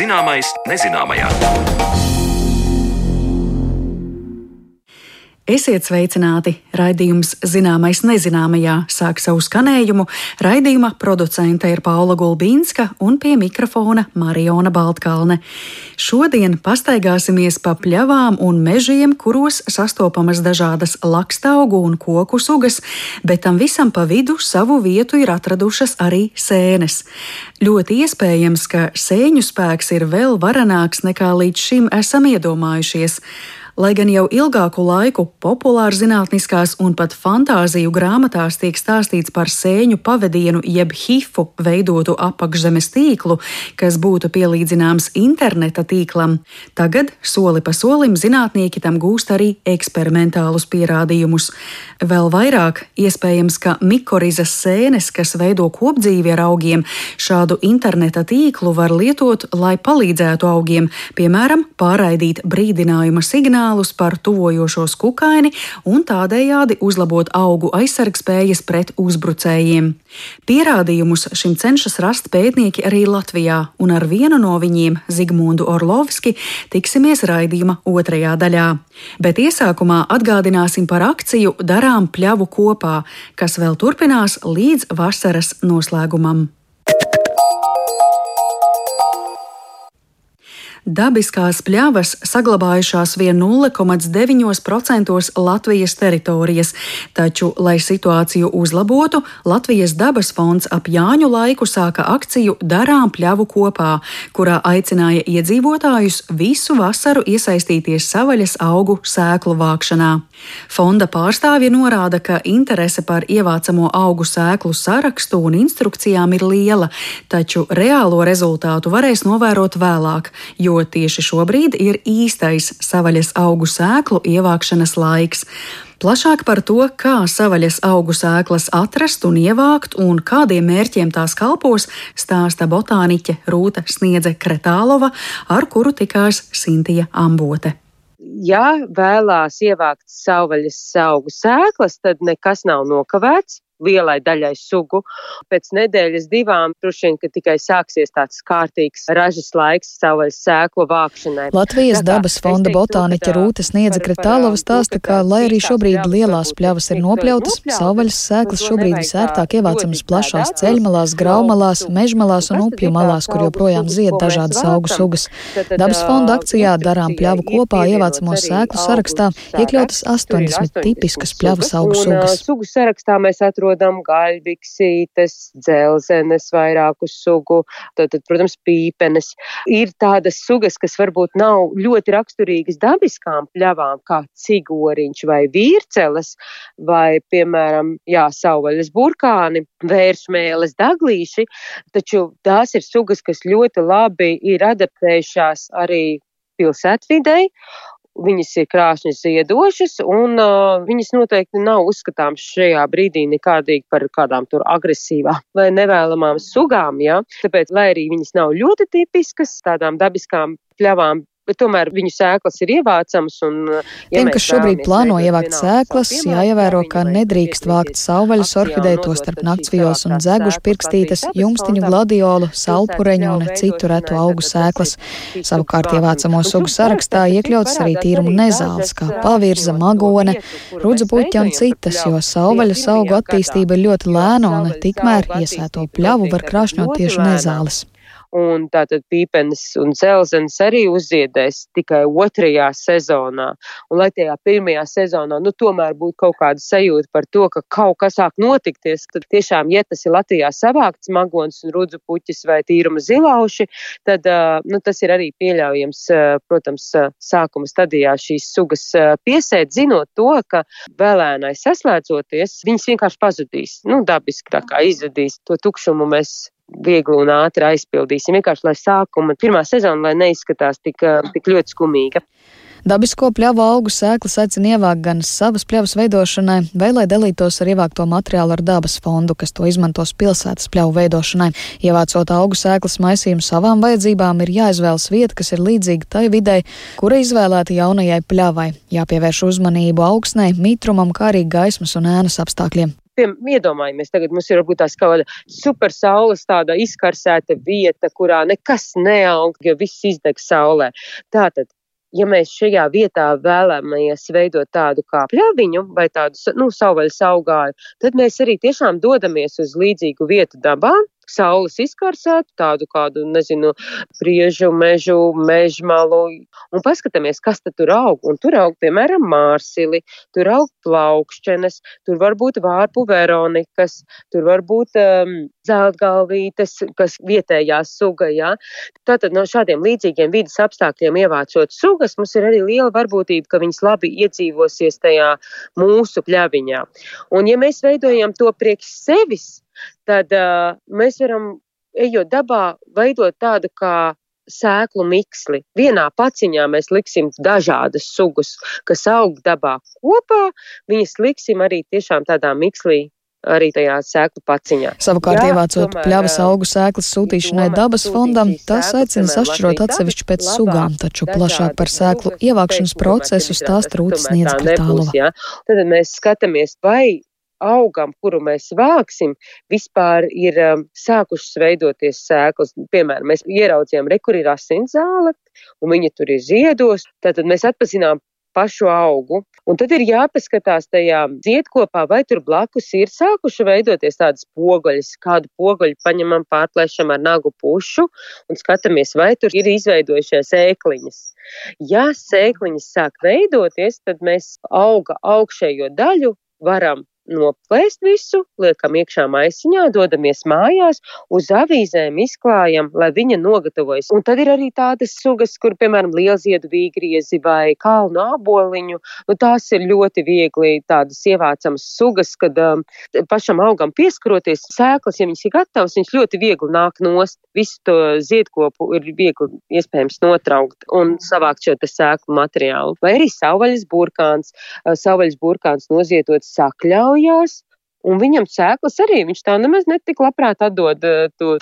Zināmais nezināmajā. Esiet sveicināti! Raidījums Zināmais nezināmajā sāk savu skanējumu. Raidījuma producente ir Paula Gulbīnska un pie mikrofona Mariona Baltkalne. Šodien pastaigāsimies pa pļavām un mežiem, kuros sastopamas dažādas lakstaugu un koku sugas, bet tam visam pa vidu savu vietu ir atradušas arī sēnes. Ļoti iespējams, ka sēņu spēks ir vēl varenāks nekā līdz šim esam iedomājušies. Lai gan jau ilgāku laiku populārzinātniskās un pat fantāziju grāmatās tiek stāstīts par sēņu pavedienu jeb hifu veidotu apakšzemes tīklu, kas būtu pielīdzināms interneta tīklam, tagad soli pa solim zinātnieki tam gūst arī eksperimentālus pierādījumus. Vēl vairāk iespējams, ka mikorizas sēnes, kas veido kopdzīvi ar augiem, šādu interneta tīklu var lietot, lai palīdzētu augiem, piemēram, pārraidīt brīdinājuma signālu par tuvojošos kukaini un tādējādi uzlabot augu aizsargspējas pret uzbrucējiem. Pierādījumus šim cenšas rast pētnieki arī Latvijā, un ar vienu no viņiem, Zigmundu Orlovski, tiksimies raidījuma otrajā daļā. Bet iesākumā atgādināsim par akciju Darām pļavu kopā, kas vēl turpinās līdz vasaras noslēgumam. Dabiskās pļavas saglabājušās vien 0,9% Latvijas teritorijas, taču, lai situāciju uzlabotu, Latvijas dabas fonds ap Jāņu laiku sāka akciju Darām pļavu kopā, kurā aicināja iedzīvotājus visu vasaru iesaistīties savaļas augu sēklu vākšanā. Fonda pārstāvja norāda, ka interese par ievācamo augu sēklu sarakstu un instrukcijām ir liela, taču reālo rezultātu varēs novērot vēlāk, jo tieši šobrīd ir īstais savaļas augu sēklu ievākšanas laiks. Plašāk par to, kā savaļas augu sēklas atrast un ievākt un kādiem mērķiem tās kalpos, stāsta botāniķe Rūta Sniedze-Kretālova, ar kuru tikās Sintija Ambote. Ja vēlās ievākt savvaļas augu sēklas, tad nekas nav nokavēts lielai daļai sugu. Pēc nedēļas divām droši vien, ka tikai sāksies tāds kārtīgs ražas laiks savvaļas sēklu vākšanai. Latvijas dabas fonda botāniķe Rūta Sniedze-Kretālova stāsta, ka, lai arī šobrīd lielās pļavas ir nopļautas, savvaļas sēklas šobrīd visērtāk ievācamas plašās ceļmalās, graumalās, mežmalās un upju malās, kur joprojām zied dažādas augu sugas. Dabas fonda akcijā Darām pļavu kopā ievācamo sēklu sarakstā iekļautas 80 tipiskas pļavas augu sugas. Sugu sarakstā mēs atrodam gaļbiksītes, dzelzenes, vairāku sugu, tad, protams, pīpenes. Ir tādas sugas, kas varbūt nav ļoti raksturīgas dabiskām pļavām, kā cigoriņš vai vīrceles, vai, piemēram, savvaļas burkāni, vēršmēles, daglīši, taču tās ir sugas, kas ļoti labi ir adaptējušās arī pilsētvidei. Viņas ir krāšņi ziedošas, un viņas noteikti nav uzskatāmas šajā brīdī nekādīgi par kādām tur agresīvām vai nevēlamām sugām, ja? Tāpēc, lai arī viņas nav ļoti tipiskas tādām dabiskām pļavām, bet tomēr viņu sēklas ir ievācamas. Tiem, kas šobrīd plāno ievākt sēklas, jāievēro, ka nedrīkst vākt savvaļas orhideju, to starp naktsvijos un dzegušu pirkstītes, jumstiņu gladiolu, salpureņu un citu retu augu sēklas. Savukārt ievācamo sugu sarakstā iekļautas arī tīrumu nezāles, kā pavirza, magone, rudzu puķa un citas, jo savvaļas augu attīstība ir ļoti lēna un tikmēr iesēto pļavu var krāšņot tieši nezāles. Un tātad pīpenes un dzelzenes arī uzziedēs tikai otrajā sezonā. Un lai tajā pirmajā sezonā, tomēr būtu kaut kāda sajūta par to, ka kaut kas sāk notikties, tad tiešām, ja tas ir Latvijā savākts magonis un rudzu puķis vai tīruma zilauši, tad tas ir arī pieļaujams, protams, sākuma stadijā šīs sugas piesēt, zinot to, ka vēlēnai saslēdzoties, viņas vienkārši pazudīs. Dabiski tā kā izvedīs to tukšumu mēs viegli un ātri aizpildīsim. Vienkārši, lai sākuma pirmā sezona, lai neizskatās tik ļoti skumīga. Dabisko pļavu augu sēklas aicina ievākt gan savas pļavas veidošanai, vai lai dalītos ar ievākto materiālu ar dabas fondu, kas to izmantos pilsētas pļavu veidošanai. Ievācot augu sēklas maisījumu savām vajadzībām, ir jāizvēlas vieta, kas ir līdzīga tai videi, kura izvēlēta jaunajai pļavai. Jāpievērš uzmanību augsnei, mitrumam, kā arī gaismas un ēnas apstākļiem. iedomājamies, tagad mums ir varbūt tās kaut kāda super saules tāda izkarsēta vieta, kurā nekas neaug, jo viss izdeg saulē. Tātad, ja mēs šajā vietā vēlamies veidot tādu kā pļaviņu vai tādu, savvaļas augāju, tad mēs arī tiešām dodamies uz līdzīgu vietu dabā, saules izkarsētu, tādu kādu, priežu, mežmalu, un paskatāmies, kas tad tur aug. Un tur aug, piemēram, mārsili, tur aug plaukšķenes, tur var būt vārpu veronikas, tur var būt zeltgalvītes, kas vietējā suga, jā. Tātad no šādiem līdzīgiem vidas apstākļiem ievācot sugas, mums ir arī liela varbūtība, ka viņas labi iedzīvosies tajā mūsu pļaviņā. Un ja mēs veidojam to priekš sevis, tad mēs varam, ejot dabā, veidot tādu kā sēklu miksli. Vienā paciņā mēs liksim dažādas sugas, kas aug dabā kopā, viņas liksim arī tiešām tādā mikslī, arī tajā sēklu paciņā. Savukārt, ievācot pļavas augu sēklas sūtīšanai dabas fondam, tās aicina sašķirot atsevišķi pēc sugām, taču plašāk par sēklu ievākšanas procesu stāsta Rūta Sniedze-Kratālova. Tad mēs skatāmies, vai augam, kuru mēs vāksim, vispār ir sākušas veidoties sēklas. Piemēram, mēs ieraudzījām, kur ir asinszāle, un viņa tur ir ziedos, tad mēs atpazinām pašu augu. Un tad ir jāpaskatās tajā ziedkopā, vai tur blakus ir sākuši veidoties tādas pogaļas. Kādu pogaļu paņemam, pārplēšam ar nagu pušu un skatāmies, vai tur ir izveidojušies ēkliņas. Ja sēkliņas sāk veidoties, tad mēs auga augšējo daļu varam noplēst visu, liekam iekšā maisiņā, dodamies mājās, uz avīzēm izklājam, lai viņa nogatavojas. Un tad ir arī tādas sugas, kur, piemēram, lielziedu vīgriezi vai kalnu āboliņu, tās ir ļoti viegli tādas ievācamas sugas, kad pašam augam pieskaroties sēklas, ja viņas ir gatavas, viņas ļoti viegli nāk nost. Visu to ziedkopu ir viegli iespējams notraukt un savākt šo te sēklu materiālu. Vai arī savvaļas burkāns nozietots sakļaujās, un viņam sēklas arī, viņš tā nemaz netik labprāt atdod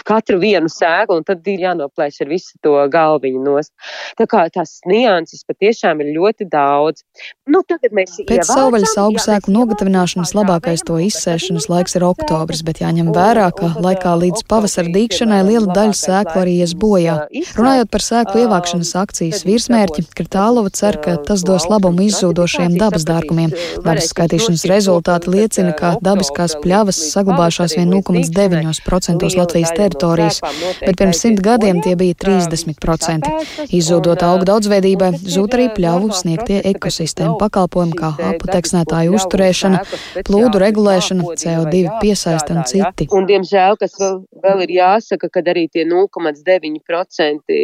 katru vienu sēklu, un tad ir jānoplēš ar visu to galviņu nost. Tā kā tās nianses patiešām ir ļoti daudz. Tagad mēs Pēc savvaļas augu sēklu nogatavināšanas labākais to izsēšanas laiks ir oktobris, bet jāņem vērā, ka laikā līdz pavasara dīgšanai liela daļa sēklu arī ies bojā. Runājot par sēklu ievākšanas akcijas virsmērķi, Kratālova cer, ka tas dos labumu izzūdošajiem dabas dārgumiem. Dabas skaitīšanas rezultāti liecina, ka dabiskās pļavas saglabājušās vien 0,9% Latvijas teritorijas, bet pirms 100 gadiem tie bija 30%. Izzūdot augu daudzveidībai, zūd arī pļavu sniegtie ekosistēmu pakalpojumi kā aputeksnētāju uzturēšana, plūdu regulēšana, CO2 piesaiste un citi. Un, diemžēl, kas vēl ir jāsaka, kad arī tie 0,9%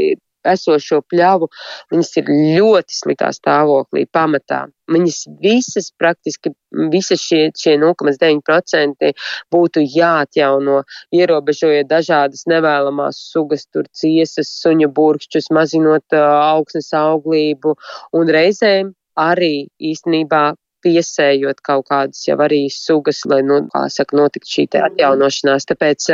esošo pļavu, viņas ir ļoti sliktā stāvoklī pamatā. Viņas praktiski šie 0,9% būtu jāatjauno, ierobežojot dažādas nevēlamās sugas, tur ciesas, suņu burkšķus, mazinot augsnes auglību un reizēm arī īstenībā piesējot kaut kādas jau arī sugas, lai, notikt šī te atjaunošanās. Tāpēc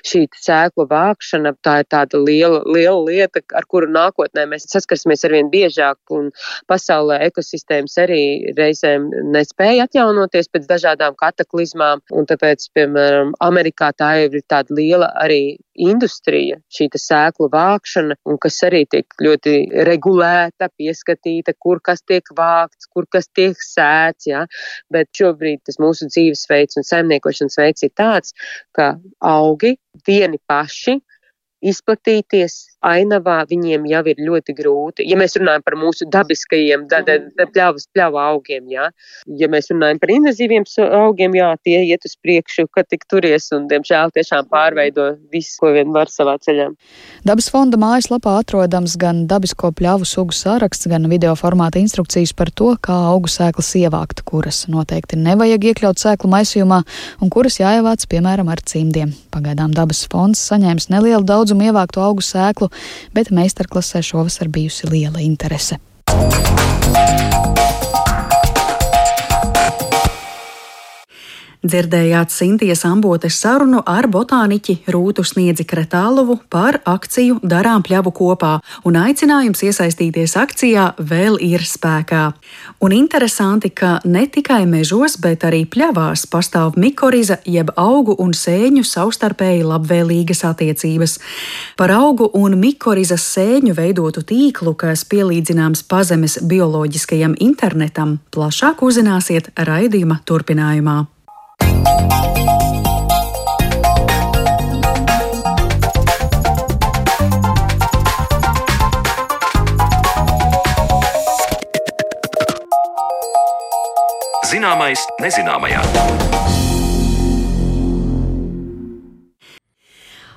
šī sēklu vākšana, tā ir tāda liela lieta, ar kuru nākotnē mēs saskarsimies arvien biežāk, un pasaulē ekosistēmas arī reizēm nespēja atjaunoties pēc dažādām kataklizmām, un tāpēc, piemēram, Amerikā tā ir tāda liela arī industrija, šī sēklu vākšana, un kas arī tiek ļoti regulēta, pieskatīta, kur kas tiek vākts, kur kas tiek sēts, jā. Bet šobrīd tas mūsu dzīvesveids un saimniekošanas veids ir tāds, ka augi vieni paši izplatīties ainavā viņiem jau ir ļoti grūti. Ja mēs runājam par mūsu dabiskajiem pļavu augiem, jā. Ja mēs runājam par invazīviem augiem, jā, tie iet uz priekšu, kad tik turies un, diemžēl, tiešām pārveido visu, ko vien var savā ceļā. Dabas fonda mājaslapā atrodams gan dabisko pļavu sugu saraksts, gan video formāta instrukcijas par to, kā augu sēklas ievākt, kuras noteikti nevajag iekļaut sēklu maisījumā un kuras jāievāc, piemēram, ar cimdiem. Pagaidām Dabas fonds saņēmis nelielu daudzumu ievāktu augu sēklu, bet meistarklasē šovasar bijusi liela interese. Dzirdējāt Sintijas Ambotes sarunu ar botāniķi Rūtu Sniedzi Kretālovu par akciju Darām pļavu kopā, un aicinājums iesaistīties akcijā vēl ir spēkā. Un interesanti, ka ne tikai mežos, bet arī pļavās pastāv mikoriza jeb augu un sēņu savstarpēji labvēlīgas attiecības. Par augu un mikorizas sēņu veidotu tīklu, kas pielīdzināms pazemes bioloģiskajam internetam, plašāk uzzināsiet raidījuma turpinājumā. Zināmais nezināmajā.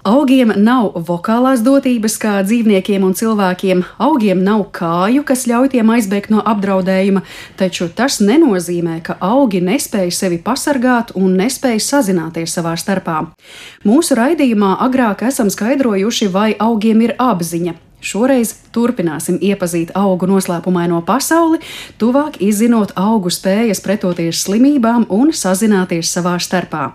Augiem nav vokālās dotības kā dzīvniekiem un cilvēkiem, augiem nav kāju, kas ļauj tiem aizbēgt no apdraudējuma, taču tas nenozīmē, ka augi nespēj sevi pasargāt un nespēj sazināties savā starpā. Mūsu raidījumā agrāk esam skaidrojuši, vai augiem ir apziņa. Šoreiz turpināsim iepazīt augu noslēpumaino pasauli, tuvāk izzinot augu spējas pretoties slimībām un sazināties savā starpā.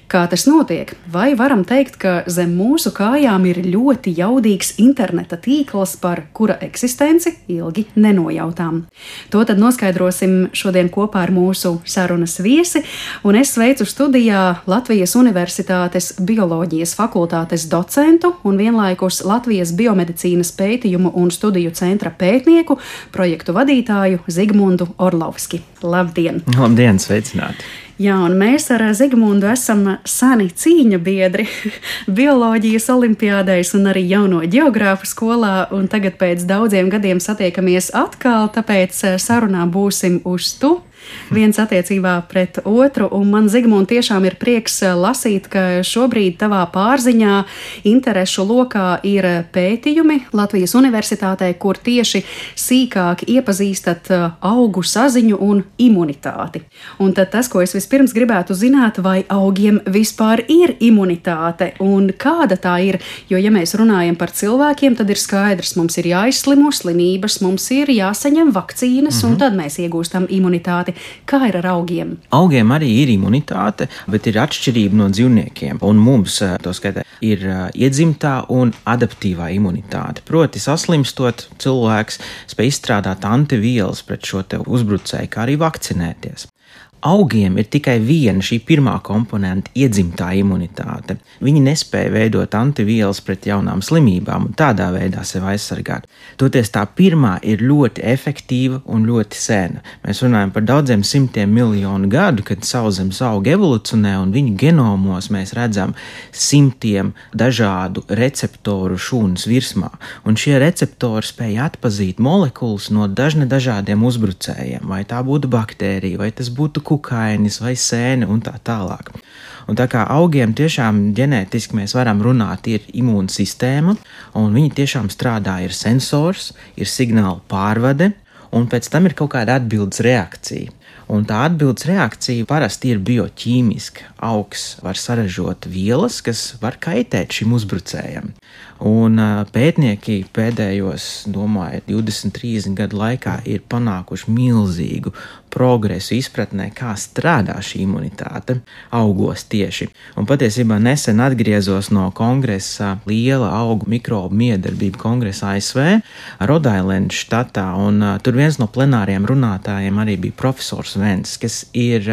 Kā tas notiek? Vai varam teikt, ka zem mūsu kājām ir ļoti jaudīgs interneta tīkls, par kura eksistenci ilgi nenojautām? To tad noskaidrosim šodien kopā ar mūsu sarunas viesi, un es sveicu studijā Latvijas Universitātes bioloģijas fakultātes docentu un vienlaikus Latvijas biomedicīnas pētījumu un studiju centra pētnieku, projektu vadītāju Zigmundu Orlovski. Labdien! Labdien, sveicināti! Jā, un mēs ar Zigmundu esam seni cīņu biedri bioloģijas olimpiādēs un arī jauno ģeogrāfu skolā, un tagad pēc daudziem gadiem satiekamies atkal, tāpēc sarunā būsim uz tu. Viens attiecībā pret otru, un man, Zigmund, tiešām ir prieks lasīt, ka šobrīd tavā pārziņā interešu lokā ir pētījumi Latvijas Universitātē, kur tieši sīkāk iepazīstat augu saziņu un imunitāti. Un tad tas, ko es vispirms gribētu zināt, vai augiem vispār ir imunitāte un kāda tā ir, jo, ja mēs runājam par cilvēkiem, tad ir skaidrs, mums ir jāizslimo slimības, mums ir jāsaņem vakcīnas, un tad mēs iegūstam imunitāti. Kā ir ar augiem? Augiem arī ir imunitāte, bet ir atšķirība no dzīvniekiem. Un mums, to skaitā, ir iedzimtā un adaptīvā imunitāte. Proti, saslimstot, cilvēks spēj izstrādāt antivielas pret šo te uzbrucēju, kā arī vakcinēties. Augiem ir tikai viena šī pirmā komponenta iedzimtā imunitāte. Viņi nespēja veidot antivielas pret jaunām slimībām un tādā veidā sevi aizsargāt. Toties tā pirmā ir ļoti efektīva un ļoti sena. Mēs runājam par daudziem simtiem miljonu gadu, kad sauszemes augi evolucionē un viņu genomos mēs redzam simtiem dažādu receptoru šūnas virsmā. Un šie receptori spēja atpazīt molekulas no dažādiem uzbrucējiem, vai tā būtu baktērija, vai tas būtu kukainis vai sēne un tā tālāk. Un tā kā augiem tiešām ģenētiski mēs varam runāt, ir imūna sistēma, un viņi tiešām strādā, ir sensors, ir signāla pārvade, un pēc tam ir kaut kāda atbildes reakcija. Un tā atbildes reakcija parasti ir bioķīmiska. Augs var saražot vielas, kas var kaitēt šim uzbrucējam. Un pētnieki pēdējos, domāju, 20-30 gadu laikā ir panākuši milzīgu progresu izpratnē, kā strādā šī imunitāte augos tieši. Un patiesībā nesen atgriezos no kongresa, liela augu mikrobu miedarbība kongresa ASV, Rhode Island štatā, un tur viens no plenāriem runātājiem arī bija profesors Vents, kas ir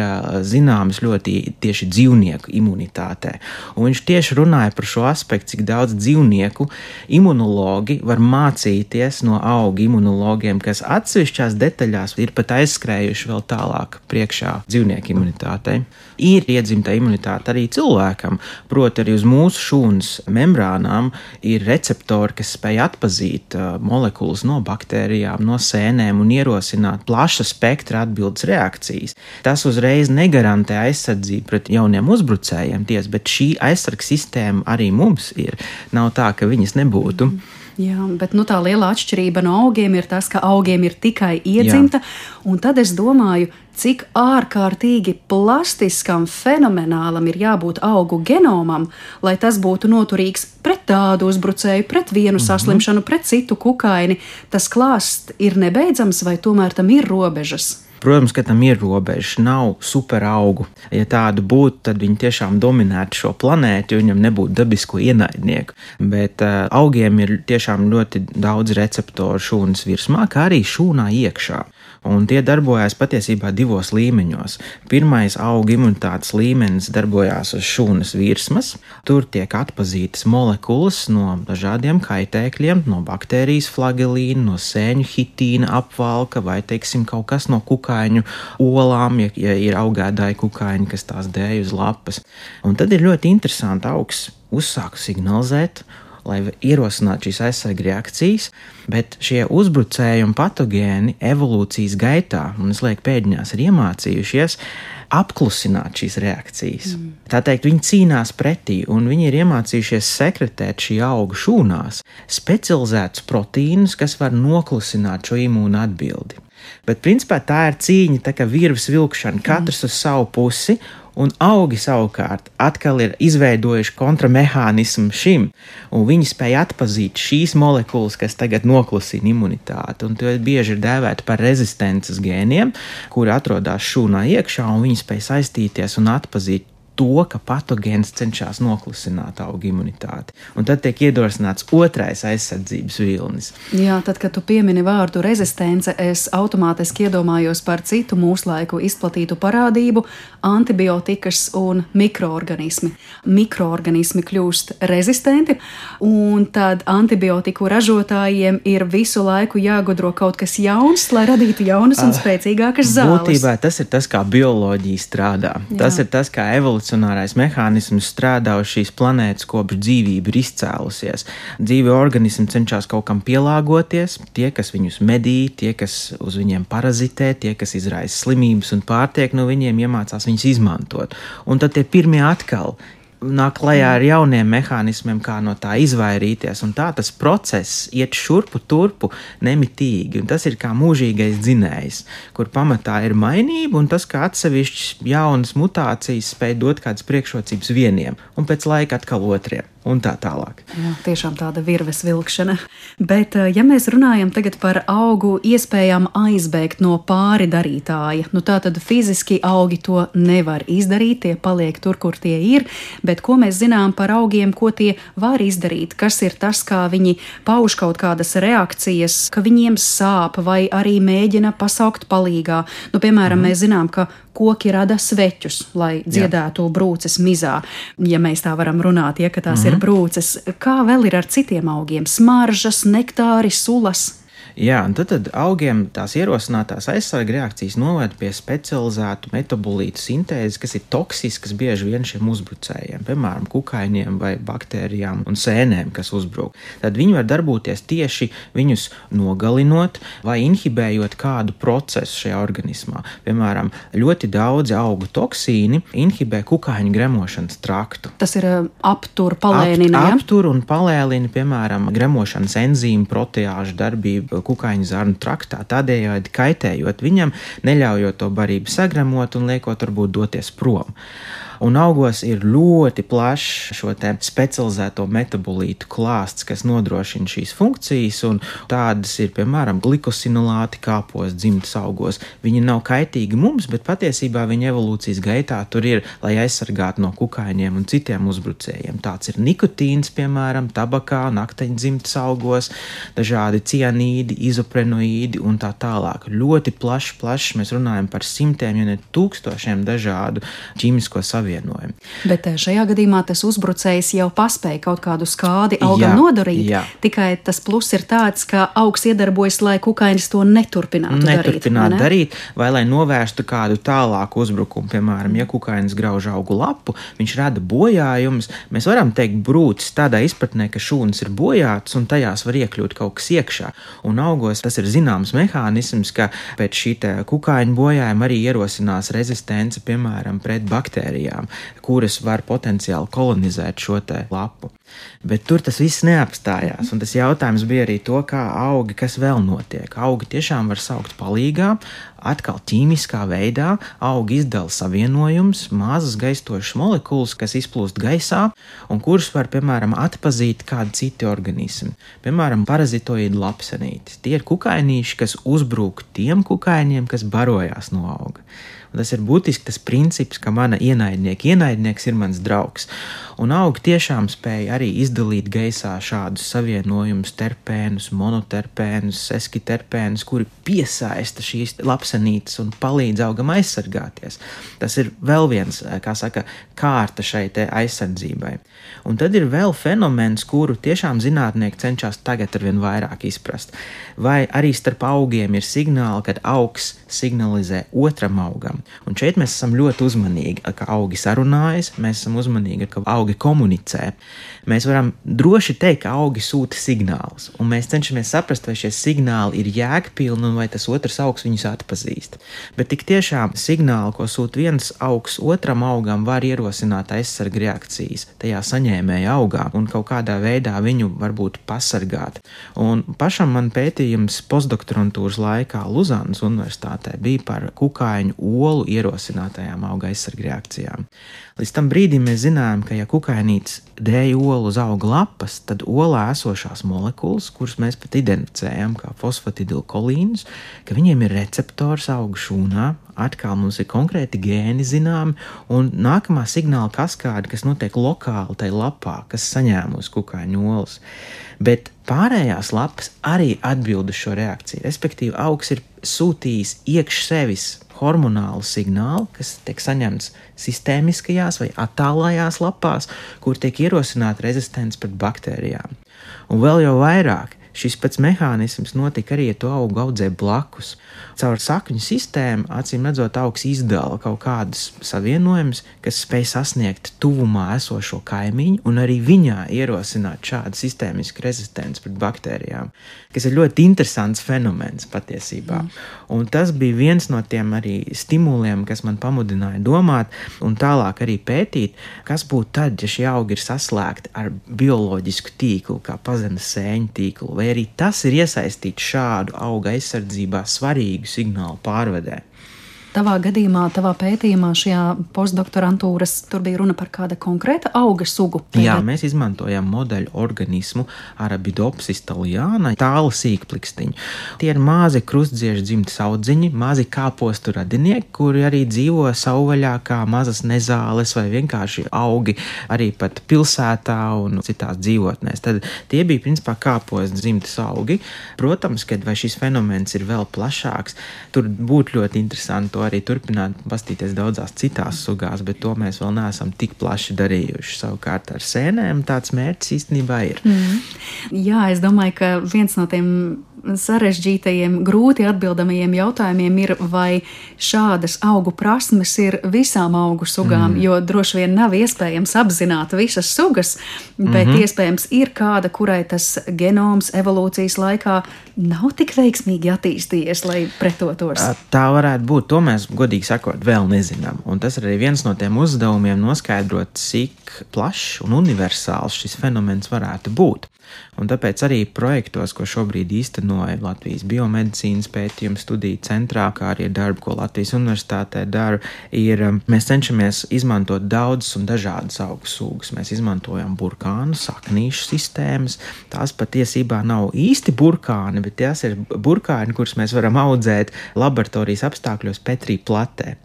zināms ļoti tieši dzīvnieku imunitātē. Un viņš tieši runāja par šo aspektu, cik daudz dzīvnieku imunologi var mācīties no augu imunologiem, kas atsevišķās detaļās ir pat aizskrējuši vēl tālāk priekšā dzīvnieku imunitātei. Ir iedzimta imunitāte arī cilvēkam, proti arī uz mūsu šūnas membrānām ir receptori, kas spēj atpazīt molekulas no baktērijām, no sēnēm un ierosināt plaša spektra atbildes reakcijas. Tas uzreiz negarantē aizsardzību pret jauniem uzbrucējiem, bet šī aizsargs sistēma arī mums ir. Nav tā, ka viņas nebūtu. Jā, bet tā liela atšķirība no augiem ir tas, ka augiem ir tikai iedzimta, un tad es domāju, cik ārkārtīgi plastiskam, fenomenālam ir jābūt augu genomam, lai tas būtu noturīgs pret tādu uzbrucēju, pret vienu saslimšanu, pret citu kukaini. Tas klāsts ir nebeidzams vai tomēr tam ir robežas? Protams, ka tam ir robežas, nav superaugu. Ja tādu būtu, tad viņi tiešām dominētu šo planētu, jo viņam nebūtu dabisko ienaidnieku. Bet augiem ir tiešām ļoti daudz receptoru šūnas virsmā, kā arī šūnā iekšā. Un tie darbojās patiesībā divos līmeņos. Pirmais auga imunitātes līmenis darbojās uz šūnas virsmas. Tur tiek atpazītas molekulas no dažādiem kaitēkļiem, no baktērijas flagelīna, no sēņu hitīna apvalka vai, teiksim, kaut kas no kukaiņu olām, ja ir augēdāji kukaiņi, kas tās dēj uz lapas. Un tad ir ļoti interesanti augs uzsāk signalizēt, lai ierosinātu šīs aizsarga reakcijas, bet šie uzbrucēji un patogēni evolūcijas gaitā, un es lieku pēdiņās, ir iemācījušies apklusināt šīs reakcijas. Tā teikt, viņi cīnās pretī, un viņi ir iemācījušies sekretēt šī auga šūnās specializētus proteīnus, kas var noklusināt šo imūnu atbildi. Bet principā tā ir cīņa, tā kā virves vilkšana, katrs uz savu pusi, un augi savukārt atkal ir izveidojuši kontramehānismu šim, un viņi spēja atpazīt šīs molekulas, kas tagad noklusina imunitāti, un to bieži ir dēvēti par rezistences gēniem, kuri atrodas šūnā iekšā, un viņi spēja saistīties un atpazīt to, ka patogēns cenšas noklusināt auga imunitāti. Un tad tiek iedrošināts otrais aizsardzības vilnis. Jā, tad, kad tu piemini vārdu rezistence, es automātiski iedomājos par citu mūslaiku izplatītu parādību – antibiotikas un mikroorganismi. Mikroorganismi kļūst rezistenti, un tad antibiotiku ražotājiem ir visu laiku jāgudro kaut kas jauns, lai radītu jaunas un spēcīgākas zāles. Būtībā tas ir tas, kā bioloģija strādā. Jā. Tas ir tas, kā evolucionārais mehānisms strādā uz šīs planētas, kopš dzīvība ir izcēlusies. Dzīvi organismi cenšas kaut kam pielāgoties, tie, kas viņus medī, tie, kas uz viņiem parazitē, tie, kas izraisa slimības un pārtiek no viņiem, iemācās viņus izmantot. Un tad tie pirmie atkal nāk klajā ar jauniem mehānismiem, kā no tā izvairīties, un tā tas process iet šurpu turpu nemitīgi, un tas ir kā mūžīgais dzinējs, kur pamatā ir mainība, un tas, kā atsevišķas jaunas mutācijas spēj dot kādas priekšrocības vieniem, un pēc laika atkal otriem, un tā tālāk. Jā, tiešām tāda virves vilkšana. Bet, ja mēs runājam tagad par augu iespējām aizbēgt no pāri darītāja, tā tad fiziski augi to nevar izdarīt, tie paliek tur, kur tie ir, bet ko mēs zinām par augiem, ko tie var izdarīt, kas ir tas, kā viņi pauž kaut kādas reakcijas, ka viņiem sāp vai arī mēģina pasaukt palīgā. Piemēram, mēs zinām, ka koki rada sveķus, lai dziedētu brūces mizā, ja mēs tā varam runāt, ka tās ir brūces. Kā vēl ir ar citiem augiem? Smaržas, nektāri, sulas? Jā, un tad augiem tās ierosinātās aizsarga reakcijas noved pie specializētu metabolītu sintēzes, kas ir toksiskas bieži vien šiem uzbrucējiem, piemēram, kukaiņiem vai baktērijām un sēnēm, kas uzbruk. Tad viņi var darboties tieši viņus nogalinot vai inhibējot kādu procesu šajā organismā. Piemēram, ļoti daudzi augu toksīni inhibē kukaiņu gremošanas traktu. Tas ir aptur, palēnina, ja? Aptur un palēnina, piemēram, gremošanas enzīmu proteāžu darbību kukaiņu zarnu traktā, tādējādi kaitējot viņam, neļaujot to barību sagremot un liekot varbūt doties prom. Un augos ir ļoti plašs šo te specializēto metabolītu klāsts, kas nodrošina šīs funkcijas, un tādas ir, piemēram, glikosinolāti kāpos dzimtas augos. Viņi nav kaitīgi mums, bet patiesībā viņa evolūcijas gaitā tur ir, lai aizsargātu no kukaiņiem un citiem uzbrucējiem. Tāds ir nikotīns, piemēram, tabakā, nakteņu dzimtas augos, dažādi cianīdi, izoprenoīdi un tā tālāk. Ļoti plašs, mēs runājam par simtiem, ja ne tūkstošiem dažādu ķīmisko savienojumu. Bet šajā gadījumā tas uzbrucējs jau paspēja kaut kādu skādi augam nodarīt, tikai tas pluss ir tāds, ka augs iedarbojas, lai kukainis to neturpinātu darīt, vai lai novērstu kādu tālāku uzbrukumu. Piemēram, ja kukainis grauž augu lapu, viņš rada bojājumus, mēs varam teikt brūces tādā izpratnē, ka šūnas ir bojātas un tajās var iekļūt kaut kas iekšā. Un augos tas ir zināms mehānisms, ka pēc šī kukaiņu bojājuma arī ierosinās rezistence, piemēram, pret baktērijām. baktērijām, kuras var potenciāli kolonizēt šo te lapu. Bet tur tas viss neapstājās, un tas jautājums bija arī to, kā augi, kas vēl notiek. Augi tiešām var saukt palīgā, atkal ķīmiskā veidā augi izdala savienojumus, mazas gaistošas molekulas, kas izplūst gaisā, un kuras var, piemēram, atpazīt kādi citi organismi. Piemēram, parazitoīdu lapsenītis. Tie ir kukainīši, kas uzbrūk tiem kukaiņiem, kas barojās no auga. Un tas ir būtiski tas princips, ka mana ienaidnieks ir mans draugs. Un augi tiešām spēja arī izdalīt gaisā šādus savienojumus, terpēnus, monoterpēnus, eskiterpēnus, kuri piesaista šīs lapsenītes un palīdz augam aizsargāties. Tas ir vēl viens, kārta šai te aizsardzībai. Un tad ir vēl fenomens, kuru tiešām zinātnieki cenšas tagad arvien vairāk izprast. Vai arī starp augiem ir signāli, kad augs signalizē otram augam. Un šeit mēs esam ļoti uzmanīgi, ka augi sarunājas, mēs esam uzmanīgi, ka augi komunicē. Mēs varam droši teikt, ka augi sūta signālus, un mēs cenšamies saprast, vai šie signāli ir jēgpilni un vai tas otrs augs viņus atpazīst. Bet tik tiešām signāli, ko sūta viens augs otram augam, var ierosināt aizsarga reakcijas tajā saņēmēja augā un kaut kādā veidā viņu varbūt pasargāt. Un pašam man pētījums postdoktorantūras laikā Luzanas universitātē bija par kukaiņu olu ierosinātajām auga aizsarga reakcijām. Līdz tam brīdim mēs zinājām, ka ja kukainītis dēja olu uz auga lapas, tad olā esošās molekulas, kuras mēs pat identificējam kā fosfatidilkolīnus, ka viņiem ir receptors auga šūnā, atkal mums ir konkrēti gēni zināmi, un nākamā signāla kaskāde, kas notiek lokāli tai lapā, kas saņēmusi kukaiņu olas. Bet pārējās lapas arī atbild uz šo reakciju, respektīvi augs ir sūtījis iekš sevis hormonālu signālu, kas tiek saņemts sistēmiskajās vai attālajās lapās, kur tiek ierosināta rezistence pret baktērijām. Un vēl jau vairāk, šis pats mehānisms notika arī, ja to augu audzē blakus. Caur sakņu sistēmu, acīm redzot, augs izdala kaut kādus savienojumus, kas spēj sasniegt tuvumā esošo kaimiņu un arī viņā ierosināt šādu sistēmisku rezistenci pret baktērijām, kas ir ļoti interesants fenomens patiesībā. Un tas bija viens no tiem arī stimuliem, kas man pamudināja domāt un tālāk arī pētīt, kas būtu tad, ja šie augi ir saslēgti ar bioloģisku tīklu, kā pazemes sēņu tīklu, vai arī tas ir iesaistīts šādu auga aizsardzībā svarīgu signālu pārvedē. Tavā gadījumā, tavā pētījumā šajā postdoktorantūras, tur bija runa par kāda konkrēta auga sugu? Jā, mēs izmantojam modeļu organismu Arabidopsis thaliana, tālu sīkplikstiņu. Tie ir mazi krustdziežu dzimtas audziņi, mazi kāpostu radinieki, kuri arī dzīvo savvaļā kā mazas nezāles vai vienkārši augi arī pat pilsētā un citās dzīvotnēs. Tad tie bija principā kāpostu dzimtas augi. Protams, kad vai šis fenomens ir vēl plašāks, tur būtu ļoti interesanti to arī turpināt pastīties daudzās citās sugās, bet to mēs vēl neesam tik plaši darījuši. Savukārt ar sēnēm tāds mērķis īstenībā ir. Jā, es domāju, ka viens no tiem sarežģītajiem, grūti atbildamajiem jautājumiem ir, vai šādas augu prasmes ir visām augu sugām, jo droši vien nav iespējams apzināt visas sugas, bet iespējams ir kāda, kurai tas genoms evolūcijas laikā nav tik veiksmīgi attīstījies, lai pretotos. Tā varētu būt, to mēs godīgi sakot vēl nezinām, un tas ir arī viens no tiem uzdevumiem noskaidrot, cik plašs un universāls šis fenomens varētu būt. Un tāpēc arī projektos, ko šobrīd īstenoja Latvijas biomedicīnas pētījuma studiju centrā, kā arī darbu, ko Latvijas universitātē dara, mēs cenšamies izmantot daudzas un dažādas augu sugas. Mēs izmantojam burkānu, saknīšu sistēmas. Tās patiesībā nav īsti burkāni, bet tās ir burkāni, kurus mēs varam audzēt laboratorijas apstākļos Petrī platē,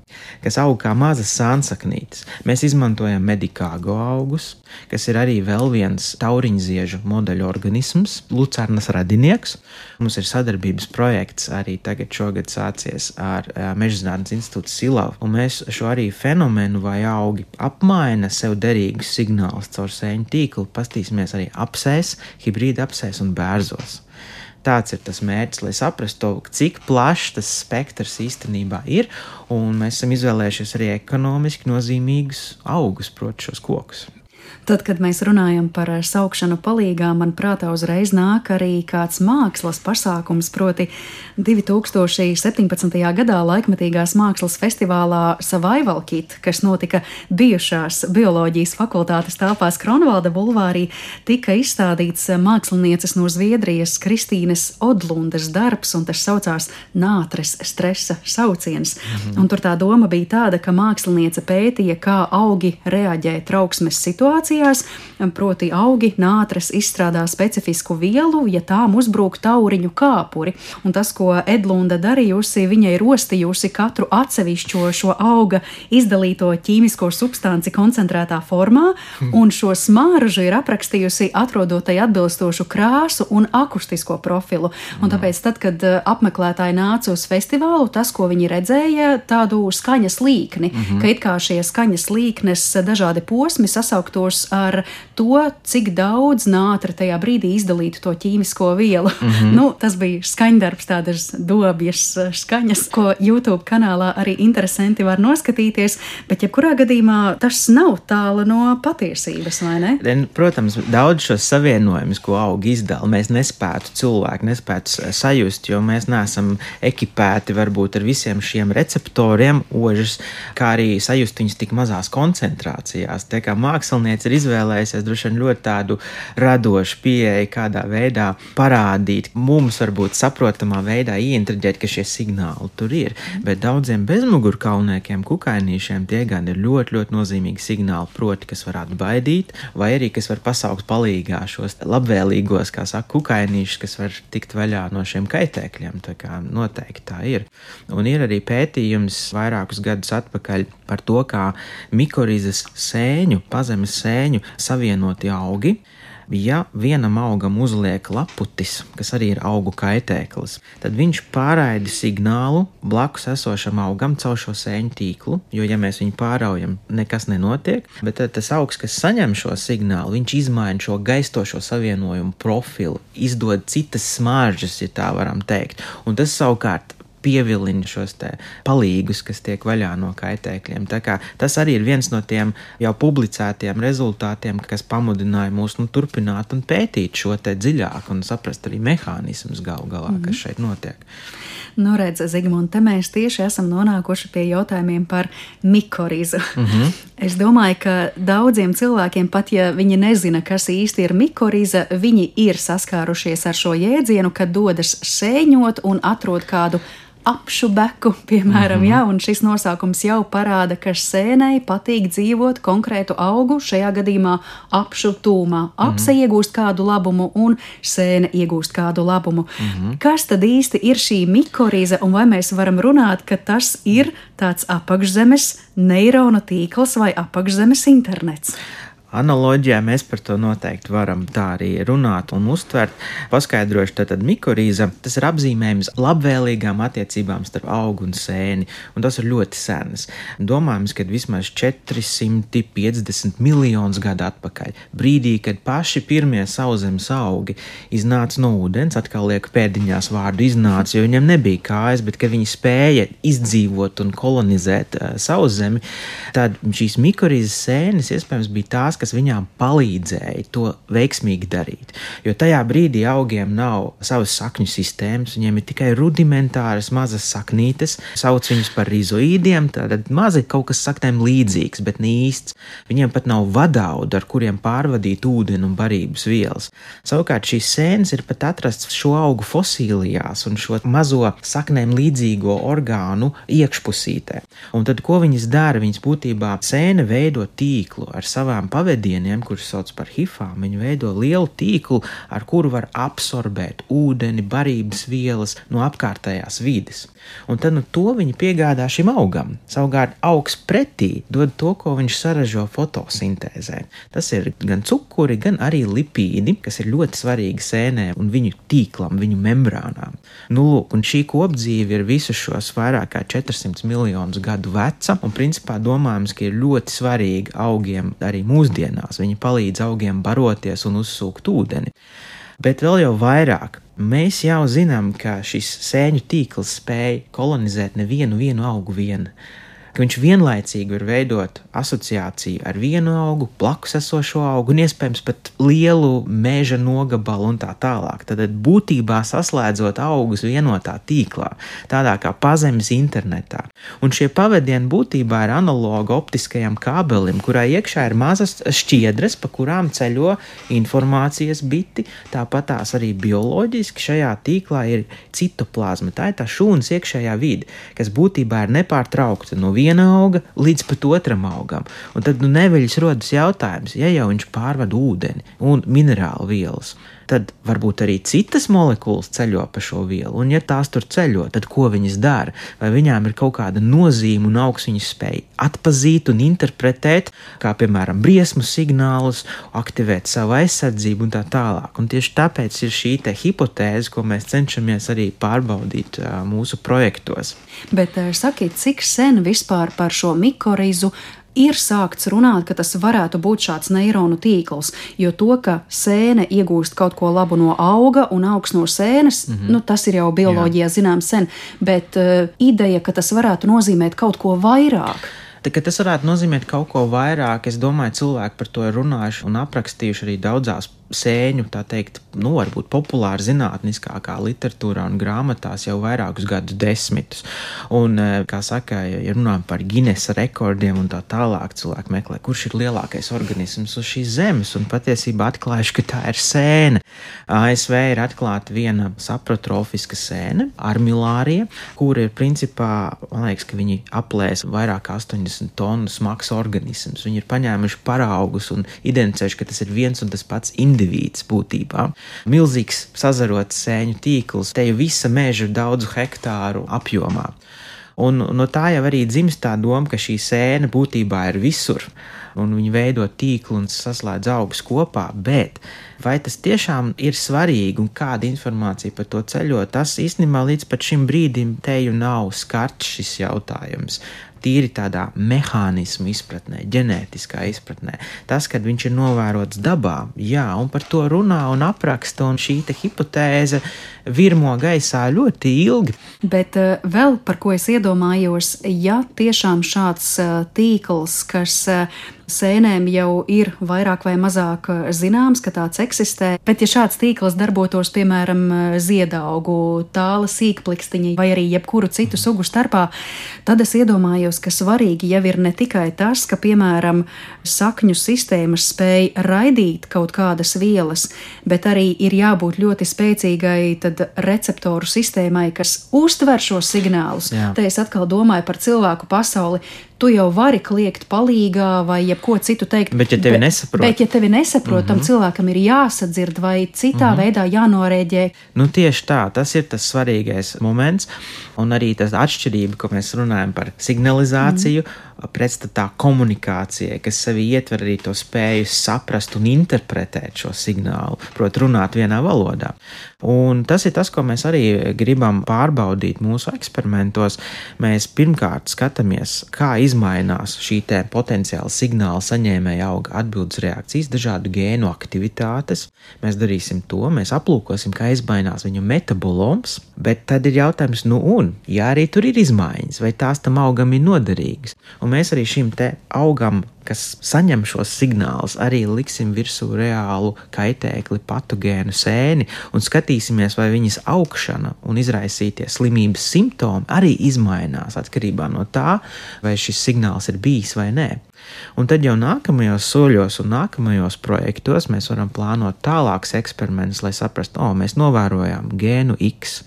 kas aug kā mazas sānsaknītes. Mēs izmantojam medikāgo augus, kas ir arī vēl viens tauriņziežu modeļu organisms, lucernas radinieks. Mums ir sadarbības projekts arī tagad šogad sācies ar Mežzinātnes institūtu Silavu, un mēs šo arī fenomenu vai augi apmaina sev derīgus signālus caur sēņu tīklu, pastīsimies arī apsēs, hibrīda apsēs un bērzos. Tāds ir tas mērķis, lai saprastu to, cik plašs tas spektrs īstenībā ir, un mēs esam izvēlējušies arī ekonomiski nozīmīgus augus, proti šos kokus. Tad, kad mēs runājam par saukšanu palīgā, man prātā uzreiz nāk arī kāds mākslas pasākums, proti 2017. gadā laikmetīgās mākslas festivālā Survival Kit, kas notika bijušās bioloģijas fakultātes telpās Kronvalda bulvārī, tika izstādīts mākslinieces no Zviedrijas Kristīnes Odlundes darbs, un tas saucās Nātres stresa sauciens. Un tur tā doma bija tāda, ka māksliniece pētīja, kā augi reaģē trauksmes situācijās, proti augi nātres izstrādā specifisku vielu, ja tām uzbrūk tauriņu kāpuri. Un tas, ko Edlunda darījusi, viņa ir rostījusi katru atsevišķo šo auga izdalīto ķīmisko substanci koncentrētā formā, un šo smaržu ir aprakstījusi atrodot tai atbilstošu krāsu un akustisko profilu. Un tāpēc tad, kad apmeklētāji nāca uz festivālu, tas, ko viņi redzēja, tādu skaņas līkni, ka it kā šie skaņas līknes dažādi posmi sasauktos ar to, cik daudz nātra tajā brīdī izdalītu to ķīmisko vielu. Tas bija skaņdarbs, tādas dobjas skaņas, ko YouTube kanālā arī interesanti var noskatīties, bet jebkurā gadījumā tas nav tālu no patiesības, vai ne? Protams, daudz šos savienojumus, ko augi izdala, mēs cilvēki nespētu sajust, jo mēs neesam ekipēti varbūt ar visiem šiem receptoriem, ožas, kā arī sajust viņus tik mazās koncentrācijās. Tā kā mākslinieci ir izvēlējusies droši vien ļoti tādu radošu pieeju, kādā veidā parādīt, mums varbūt saprotamā veidā ieintriģēt, ka šie signāli tur ir, bet daudziem bezmugurkaulniekiem, kukainīšiem tie gan ir ļoti, ļoti nozīmīgi signāli, proti, kas var atbaidīt, vai arī, kas var pasaukt palīgā šos labvēlīgos, kā saka, kukainīšus, kas var tikt vaļā no šiem kaitēkļiem, tā kā noteikti tā ir. Un ir arī pētījums vairākus gadus atpakaļ par to, kā mikorizes sēņu, pazemes sēņu savienoti augi, ja vienam augam uzliek laputis, kas arī ir augu kaitēklis, tad viņš pārraida signālu blakus esošam augam caur šo sēņu tīklu, jo, ja mēs viņu pāraujam, nekas nenotiek, bet tad tas augs, kas saņem šo signālu, viņš izmaina šo gaistošo savienojumu profilu, izdod citas smaržas, ja tā varam teikt, un tas savukārt pievilina šos te palīgus, kas tiek vaļā no kaitēkļiem. Tā kā tas arī ir viens no tiem jau publicētiem rezultātiem, kas pamudināja mūs turpināt un pētīt šo te dziļāk un saprast arī mehānismus galā, kas šeit notiek. Nu, redz, Zigmund, te mēs tieši esam nonākuši pie jautājumiem par mikorizu. Es domāju, ka daudziem cilvēkiem, pat ja viņi nezina, kas īsti ir mikoriza, viņi ir saskārušies ar šo jēdzienu, kad dodas sēņot un atrod kādu apšu beku, piemēram, un šis nosaukums jau parāda, ka sēnei patīk dzīvot konkrētu augu, šajā gadījumā apšu tūmā. Apse iegūst kādu labumu un sēne iegūst kādu labumu. Kas tad īsti ir šī mikoriza, un vai mēs varam runāt, ka tas ir tāds apakšzemes neironu tīkls vai apakšzemes internets? Analoģijā mēs par to noteikti varam tā arī runāt un uztvert. Paskaidrošu, tātad mikorīza, tas ir apzīmējums labvēlīgām attiecībām starp augu un sēni, un tas ir ļoti sens. Domājams, ka vismaz 450 miljonus gadu atpakaļ, brīdī, kad paši pirmie sauszemes augi iznāca no ūdens, atkal lieku pēdiņās vārdu iznāca, jo viņiem nebija kājas, bet ka viņi spēja izdzīvot un kolonizēt sauszemi, tad šīs mikorīzes sēnes iespējams bija tās, kas viņām palīdzēja to veiksmīgi darīt. Jo tajā brīdī augiem nav savas sakņu sistēmas, viņiem ir tikai rudimentāras mazas saknītes, sauc viņus par rizoīdiem, tātad mazi kaut kas saknēm līdzīgs, bet ne īsts. Viņiem pat nav vadaudu, ar kuriem pārvadīt ūdeni un barības vielas. Savukārt šīs sēnes ir pat atrasts šo augu fosīlijās un šo mazo saknēm līdzīgo orgānu iekšpusītē. Un tad, ko viņas dara? Viņas būtībā sēne veido tīklu ar savām pavadieniem, kurus sauc par hifām. Viņi veido lielu tīklu, ar kuru var absorbēt ūdeni, barības vielas no apkārtējās vides. Un tad to viņi piegādā šim augam. Savukārt augs pretī dod to, ko viņš saražo fotosintēzē. Tas ir gan cukuri, gan arī lipīdi, kas ir ļoti svarīgi sēnēm un viņu tīklam, viņu membrānām. Lūk, un šī kopdzīve ir visus šos vairāk kā 400 miljonus gadu veca, un principā domājams, ka ir ļoti svarīgi augiem arī mūsdienās. Viņi palīdz augiem baroties un uzsūkt ūdeni. Bet vēl jau vairāk. Mēs jau zinām, ka šis sēņu tīkls spēj kolonizēt nevienu augu vien. ka viņš vienlaicīgi var veidot asociāciju ar vienu augu, blakus esošo augu un iespējams pat lielu meža nogabalu un tā tālāk. Tad būtībā saslēdzot augus vienotā tīklā, tādā kā pazemes internetā. Un šie pavadieni būtībā ir analoga optiskajam kābelim, kurā iekšā ir mazas šķiedras, pa kurām ceļo informācijas biti, tāpat tās arī bioloģiski šajā tīklā ir citoplazma, tā ir tā šūnas iekšējā vide, kas būtībā ir nepārtraukta no viena auga līdz pat otram augam. Un tad neveļas rodas jautājums, ja jau viņš pārvada ūdeni un minerālu vielas, tad varbūt arī citas molekulas ceļo pa šo vielu, un ja tās tur ceļo, tad ko viņas dara? Vai viņām ir kaut kāda nozīme un augs viņas spēj atpazīt un interpretēt, kā piemēram briesmu signālus, aktivēt savu aizsardzību un tā tālāk. Un tieši tāpēc ir šī te hipotēze, ko mēs cenšamies arī pārbaudīt mūsu projektos. Bet sakiet, cik sen vispār par šo mikorizu ir sākts runāt, ka tas varētu būt šāds neironu tīkls, jo to, ka sēne iegūst kaut ko labu no auga un augs no sēnes, tas ir jau bioloģijā zināms sen, bet ideja, ka tas varētu nozīmēt kaut ko vairāk. Ka tas varētu nozīmēt kaut ko vairāk, es domāju, cilvēki par to ir runājuši un aprakstījuši arī daudzās sēņu, tā teikt, varbūt populāri zinātniskākā literatūrā un grāmatās jau vairākus gadu desmitus. Un, kā saka, ja runājam par Ginesa rekordiem un tā tālāk, cilvēki meklē, kurš ir lielākais organisms uz šīs zemes, un patiesībā atklājuši, ka tā ir sēne. ASV ir atklāta viena saprotrofiska sēne, armilārija, kur ir principā, man liekas, ka viņi aplēs vairāk kā 80 tonu smags organisms. Viņi ir paņēmuši paraugus un identificējuši, ka tas ir viens un tas pats indivīds būtībā. Milzīgs sazarots sēņu tīkls, te jau visa meža ir daudzu hektāru apjomā. Un no tā jau arī dzimst tā doma, ka šī sēne būtībā ir visur, un viņi veido tīklu un saslēdz augus kopā, bet vai tas tiešām ir svarīgi un kāda informācija par to ceļo, tas īstenībā līdz pat šim brīdim teju nav skarts šis jautājums. Tīri tādā mehānismu izpratnē, ģenētiskā izpratnē. Tas, kad viņš ir novērots dabā, jā, un par to runā un apraksta, un šī te hipotēze virmo gaisā ļoti ilgi. Bet vēl par ko es iedomājos, ja tiešām šāds tīkls, kas sēnēm jau ir vairāk vai mazāk zināms, ka tāds eksistē, bet ja šāds tīkls darbotos, piemēram, ziedaugu, tāla sīkplikstiņa vai arī jebkuru citu sugu starpā, tad es iedomājos, ka svarīgi jau ir ne tikai tas, ka, piemēram, sakņu sistēmas spēj raidīt kaut kādas vielas, bet arī ir jābūt ļoti spēcīgai tad receptoru sistēmai, kas uztver šos signālus. Jā. Te es atkal domāju par cilvēku pasauli. Tu jau vari kliegt palīgā vai jebko citu teikt. Bet ja tevi nesaprot. Bet ja tevi nesaprot, tam cilvēkam ir jāsadzird vai citā veidā jānorēģē. Tieši tā, tas ir tas svarīgais moments, un arī tas atšķirība, ko mēs runājam par signalizāciju, pretstatā komunikācijai, kas sevi ietver arī to spēju saprast un interpretēt šo signālu, proti runāt vienā valodā. Un tas ir tas, ko mēs arī gribam pārbaudīt mūsu eksperimentos. Mēs pirmkārt skatāmies, kā izmainās šī te potenciāla signāla saņēmēja auga atbildes reakcijas, dažādu gēnu aktivitātes. Mēs darīsim to, mēs aplūkosim, kā izmainās viņu metaboloms, bet tad ir jautājums, ja arī tur ir izmaiņas, vai tās tam augam ir noderīgas. Un mēs arī šim te augam, kas saņem šos signālus, arī liksim virsū reālu kaitēkli patogēnu sēni un skatīsimies, vai viņas augšana un izraisītie slimības simptomi arī izmainās atkarībā no tā, vai šis signāls ir bijis vai nē. Un tad jau nākamajos soļos un nākamajos projektos mēs varam plānot tālāks eksperimentus, lai saprastu, mēs novērojām gēnu X,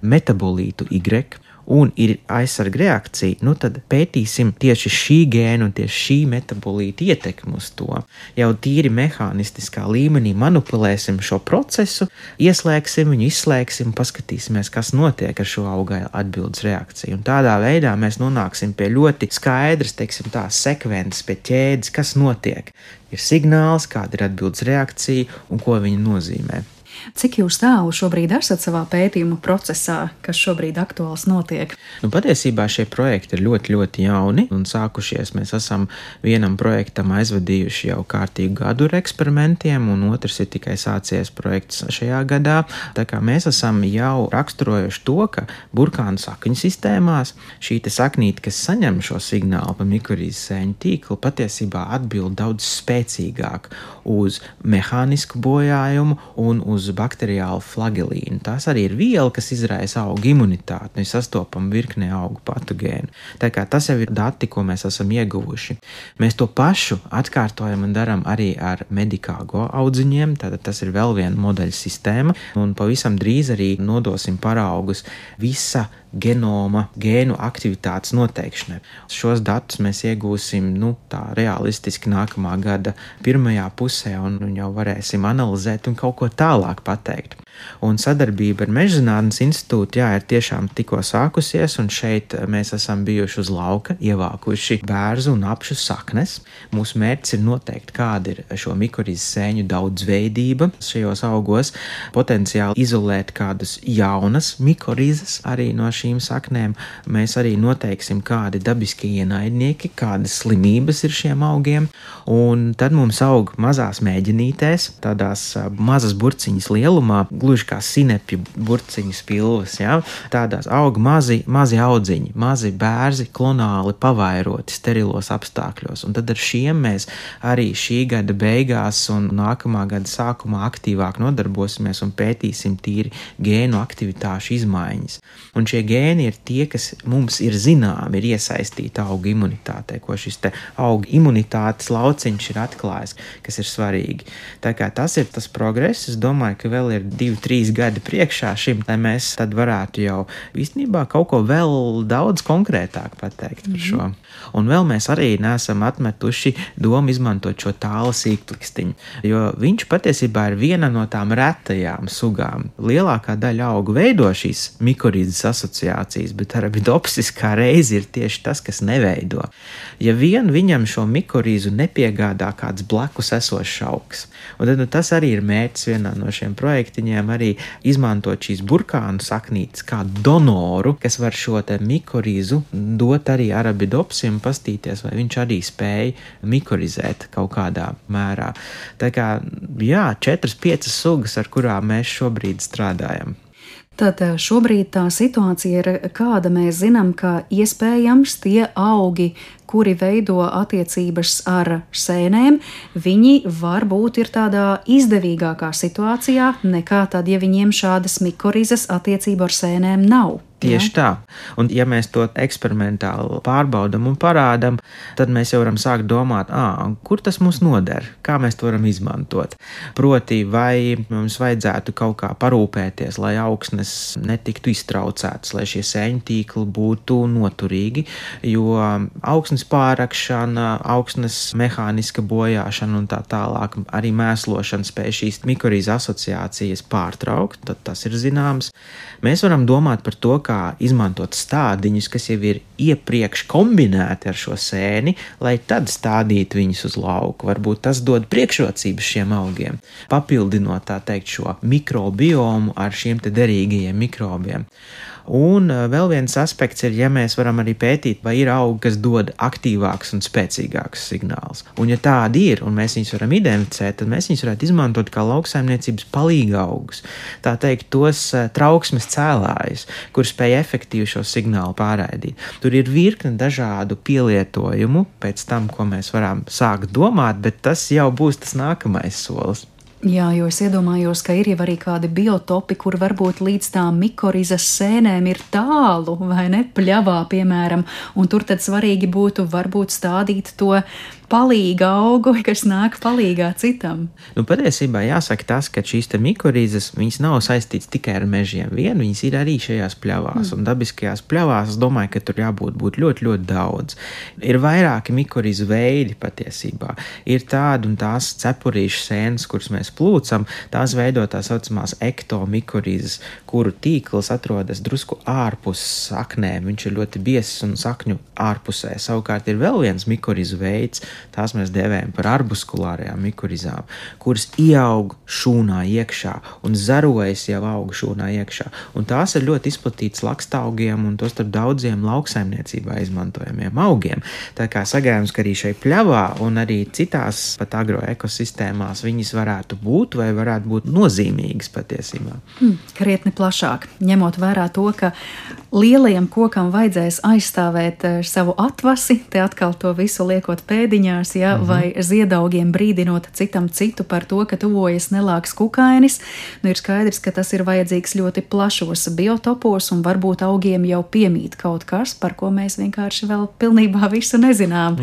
metabolītu Y, un ir aizsarga reakcija, tad pētīsim tieši šī gēna un tieši šī metabolīta ietekmi uz to. Jau tīri mehānistiskā līmenī manipulēsim šo procesu, ieslēgsim viņu, izslēgsim, paskatīsimies, kas notiek ar šo auga atbildes reakciju. Un tādā veidā mēs nonāksim pie ļoti skaidras, sekvences, pie ķēdes, kas notiek. Ir signāls, kāda ir atbildes reakcija un ko viņa nozīmē. Cik jūs tālu šobrīd esat savā pētījuma procesā, kas šobrīd aktuāls notiek? Patiesībā šie projekti ir ļoti, ļoti jauni un sākušies. Mēs esam vienam projektam aizvadījuši jau kārtīgu gadu ar eksperimentiem, un otrs ir tikai sācies projekts šajā gadā. Tā kā mēs esam jau raksturojuši to, ka burkānu sakņu sistēmās šī saknīte, kas saņem šo signālu pa mikorīzes sēņu tīklu, patiesībā atbild daudz spēcīgāk uz mehānisku bojājumu un uz bakteriālu flagelīnu. Tās arī ir viela, kas izraisa augu imunitāti, mēs sastopam virknē augu patogēnu. Tā kā tas jau ir dati, ko mēs esam ieguvuši. Mēs to pašu atkārtojam un daram arī ar medikāgo audziņiem, tātad tas ir vēl viena modeļa sistēma, un pavisam drīz arī nodosim paraugus visa genoma, gēnu aktivitātes noteikšanai. Šos datus mēs iegūsim, tā realistiski nākamā gada pirmajā pusē un jau varēsim analizēt un kaut ko tālāk pateikt. Un sadarbība ar Mežzinātnes institūtu, ir tiešām tikko sākusies, un šeit mēs esam bijuši uz lauka, ievākuši bērzu un apšu saknes. Mūsu mērķis ir noteikt, kāda ir šo mikorīzes sēņu daudzveidība šajos augos, potenciāli izolēt kādas jaunas mikorīzes arī no šīm saknēm. Mēs arī noteiksim, kādi dabiskie ienaidnieki, kādas slimības ir šiem augiem, un tad mums aug mazās mēģinītēs, tādās mazas burciņas lielumā, gluži kā sinepju burciņu spilvas, tādās aug mazi audziņi, mazi bērzi, klonāli pavairoti sterilos apstākļos, un tad ar šiem mēs arī šī gada beigās un nākamā gada sākumā aktīvāk nodarbosimies un pētīsim tīri gēnu aktivitāšu izmaiņas. Un šie gēni ir tie, kas mums ir zināmi, ir iesaistīti augu imunitātei, ko šis te augu imunitātes lauciņš ir atklājis, kas ir svarīgi. Tā kā tas ir tas progress, es domāju, ka vēl ir 2-3 gadi priekšā šim, lai mēs tad varētu jau īstenībā kaut ko vēl daudz konkrētāk pateikt par šo. Un vēl mēs arī neesam atmetuši domu izmantot šo tāla sīkplikstiņu, jo viņš patiesībā ir viena no tām retajām sugām. Lielākā daļa augu veido šīs mikorīzes asociācijas, bet arabidopsis kā reizi ir tieši tas, kas neveido. Ja vien viņam šo mikorīzu nepiegādā kāds blakus esošs augs. Un tad tas arī ir mērķis vienā no šiem projektiņiem, arī izmantot šīs burkānu saknītes kā donoru, kas var šo te mikorīzu dot arī arabidopsim, pastīties, vai viņš arī spēja mikorizēt kaut kādā mērā. Tā kā, 4-5 sugas, ar kurām mēs šobrīd strādājam. Tad šobrīd tā situācija ir kāda. Mēs zinām, ka iespējams tie augi, kuri veido attiecības ar sēnēm, viņi varbūt ir tādā izdevīgākā situācijā nekā tad, ja viņiem šādas mikorizes attiecību ar sēnēm nav. Tieši tā. Un ja mēs to eksperimentāli pārbaudam un parādam, tad mēs jau varam sākt domāt, kur tas mums noder, kā mēs to varam izmantot. Proti, vai mums vajadzētu kaut kā parūpēties, lai augsnes netiktu iztraucētas, lai šie sēņu tīkli būtu noturīgi, jo augsnes pārakšana, augsnes mehāniska bojāšana un tā tālāk, arī mēslošana spēj šīs mikorīzes asociācijas pārtraukt, tad tas ir zināms. Mēs varam domāt par to, kā izmantot stādiņus, kas jau ir iepriekš kombinēti ar šo sēni, lai tad stādītu viņus uz lauku. Varbūt tas dod priekšrocības šiem augiem, papildinot, tā teikt, šo mikrobiomu ar šiem te derīgajiem mikrobiem. Un vēl viens aspekts ir, ja mēs varam arī pētīt, vai ir augi, kas dod aktīvāks un spēcīgāks signāls. Un ja tādi ir, un mēs viņus varam identificēt, tad mēs viņus varētu izmantot kā lauksaimniecības palīga augus. Tā teikt, tos trauksmes cēlājus, kur spēj efektīvi šo signālu pārraidīt. Tur ir virkne dažādu pielietojumu pēc tam, ko mēs varam sākt domāt, bet tas jau būs tas nākamais solis. Jā, jo es iedomājos, ka ir jau arī kādi biotopi, kur varbūt līdz tām mikorizes sēnēm ir tālu, vai ne, pļavā, piemēram, un tur tad svarīgi būtu varbūt stādīt to palīga augu, kas nāk palīgā citam. Patiesībā jāsaka tas, ka šīs te mikorīzes, viņas nav saistīts tikai ar mežiem vien, viņas ir arī šajās pļavās, un dabiskajās pļavās, es domāju, ka tur jābūt ļoti, ļoti daudz. Ir vairāki mikorīzu veidi patiesībā. Ir tādi un tās cepurīšu sēnes, kuras mēs plūcam, tās veido tā saucamās ektomikorīzes, kuru tīkls atrodas drusku ārpus saknēm, viņš ir ļoti biezs un sakņu ārpusē. Savukārt ir vēl viens mikorīzu veids, tās mēs dēvējam par arbuskulārajām mikorizām, kuras ieaug šūnā iekšā un zarojas jau aug šūnā iekšā. Un tās ir ļoti izplatītas lakstaugiem un tos starp daudziem lauksaimniecībā izmantojamiem augiem. Tā kā sagaidāms, ka arī šai pļavā un arī citās pat agroekosistēmās viņas varētu būt vai varētu būt nozīmīgas patiesībā. Krietni plašāk, ņemot vērā to, ka lielajam kokam vajadzēs aizstāvēt savu atvasi, te atkal to visu liekot pēdiņās, vai ziedaugiem brīdinot citam citu par to, ka tuvojas nelāks kukainis, ir skaidrs, ka tas ir vajadzīgs ļoti plašos biotopos un varbūt augiem jau piemīt kaut kas, par ko mēs vienkārši vēl pilnībā visu nezinām.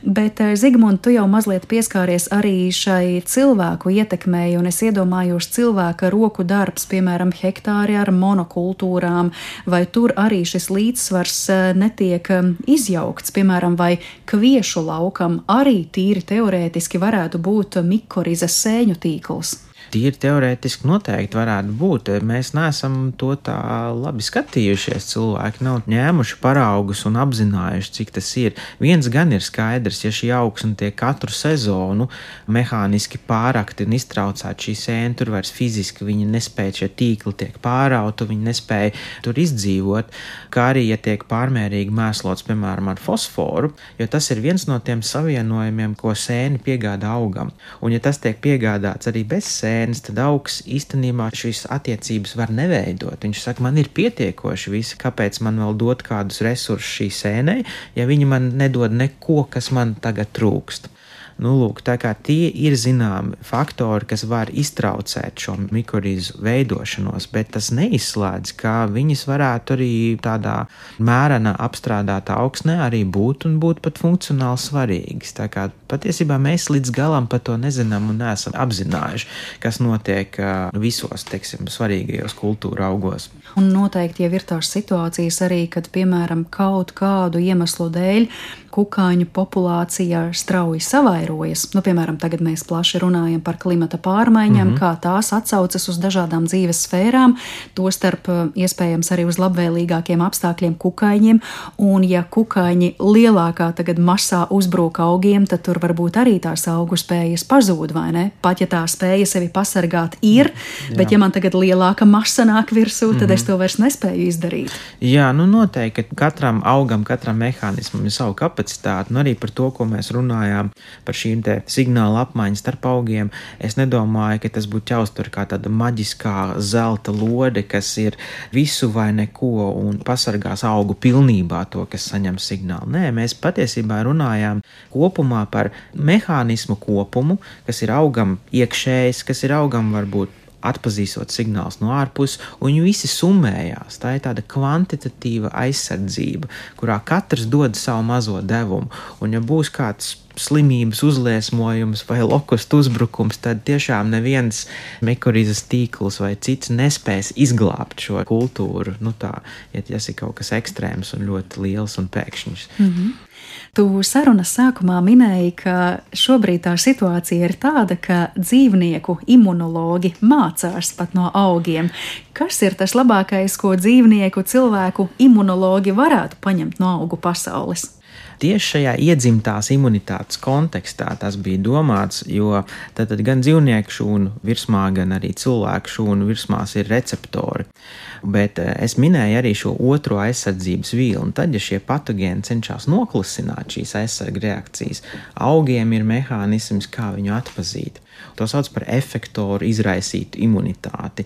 Bet, Zigmund, tu jau mazliet pieskāries arī šai cilvēku ietekmei, un es iedomājos cilvēka roku darbs, piemēram, hektāri ar monokultūrām, vai tur arī šis līdzsvars netiek izjaukts, piemēram, vai kviešu laukam arī tīri teorētiski varētu būt mikorizas sēņu tīkls? Tīri teorētiski noteikti varētu būt. Mēs neesam to tā labi skatījušies. Cilvēki nav ņēmuši paraugus un apzinājuši, cik tas ir. Viens gan ir skaidrs, ja šī augsne tiek katru sezonu mehāniski pārakti un iztraucēt šī sēne, tur vairs fiziski viņi nespēja, šie tīkli tiek pārauti, viņi nespēja tur izdzīvot, kā arī, ja tiek pārmērīgi mēslots, piemēram, ar fosforu, jo tas ir viens no tiem savienojumiem, ko sēne piegādā augam. Un ja tas tiek piegādāts arī bez sēnes, tad augs īstenībā šīs attiecības var neveidot. Viņš saka, man ir pietiekoši visi, kāpēc man vēl dot kādus resursus šī sēnei, ja viņi man nedod neko, kas man tagad trūkst. Lūk, tā kā tie ir zināmi faktori, kas var iztraucēt šo mikorizu veidošanos, bet tas neizslēdz, ka viņas varētu arī tādā mērena apstrādātā augsnē arī būt un būt pat funkcionāli svarīgas. Tā kā patiesībā mēs līdz galam par to nezinām un neesam apzinājuši, kas notiek visos, svarīgajos kultūra augos. Un noteikti jau ir tās situācijas arī, kad, piemēram, kaut kādu iemeslu dēļ kukaiņu populācija strauji savairojas. Piemēram, tagad mēs plaši runājam par klimata pārmaiņām, kā tās atsaucas uz dažādām dzīves sfērām, tostarp iespējams arī uz labvēlīgākiem apstākļiem kukaiņiem, un ja kukaiņi lielākā tagad masā uzbrūk augiem, tad tur varbūt arī tās augu spējas pazūd, vai ne? Pat ja tā spēja sevi pasargāt ir, bet ja man tagad lielāka masa nāk virsū, tad es to vairs nespēju izdarīt. Jā, noteikti, ka katram augam, katram mehānismam ir savu kapacitāti, arī par to, ko mēs runājām, par šīm te signāla apmaiņas starp augiem. Es nedomāju, ka tas būtu jāuztver kā tāda maģiskā zelta lode, kas ir visu vai neko un pasargās augu pilnībā to, kas saņem signālu. Nē, mēs patiesībā runājām kopumā par mehānismu kopumu, kas ir augam iekšējs, kas ir augam varbūt atpazīstot signālus no ārpuses, un viņi visi summējās. Tā ir tāda kvantitatīva aizsardzība, kurā katrs dod savu mazo devumu. Un ja būs kāds slimības uzliesmojums vai lokustu uzbrukums, tad tiešām neviens mikorizas tīkls vai cits nespēs izglābt šo kultūru. Ja tas ir kaut kas ekstrēms un ļoti liels un pēkšņs. Tu sarunas sākumā minēji, ka šobrīd tā situācija ir tāda, ka dzīvnieku imunologi mācās pat no augiem. Kas ir tas labākais, ko dzīvnieku, cilvēku imunologi varētu paņemt no augu pasaules? Tieši šajā iedzimtās imunitātes kontekstā tas bija domāts, jo tad gan dzīvnieku šūnu virsmā, gan arī cilvēku šūnu virsmās ir receptori. Bet es minēju arī šo otro aizsardzības vīlu, un tad, ja šie patogēni cenšas noklusināt šīs aizsarga reakcijas, augiem ir mehānisms, kā viņu atpazīt. To sauc par efektoru izraisītu imunitāti,